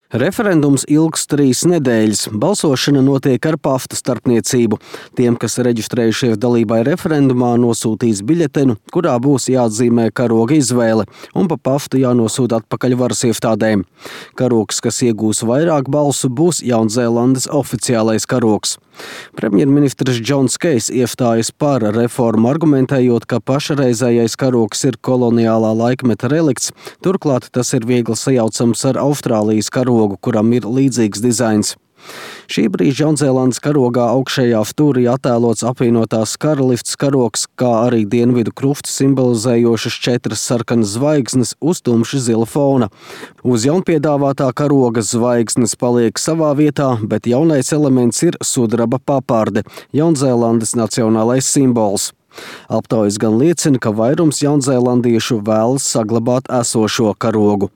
Referendums ilgs 3 nedēļas. Balsošana notiek ar pafta starpniecību. Tiem, kas reģistrējušies dalībai referendumā, nosūtīs biļetenu, kurā būs jāatzīmē karoga izvēle, un pa paftu jānosūta atpakaļ varas iestādēm. Karogs, kas iegūs vairāk balsu, būs Jaunzēlandes oficiālais karogs. Premjerministrs Džons Kejs iestājas par reformu, argumentējot, ka pašreizējais karogs ir koloniālā laikmeta relikts, turklāt tas ir viegli sajaucams ar Austrālijas karogu, kuram ir līdzīgs dizains. Šī brīža Jaunzēlandes karogā augšējā stūrī attēlots apvienotās karalists karogs, kā arī dienvidu krustu simbolizējošas 4 sarkanas zvaigznes uz tumši zila fona. Uz jaunpiedāvātā karoga zvaigznes paliek savā vietā, bet jaunais elements ir sudraba paparde, Jaunzēlandes nacionālais simbols. Aptaujas gan liecina, ka vairums jaunzēlandiešu vēlas saglabāt esošo karogu.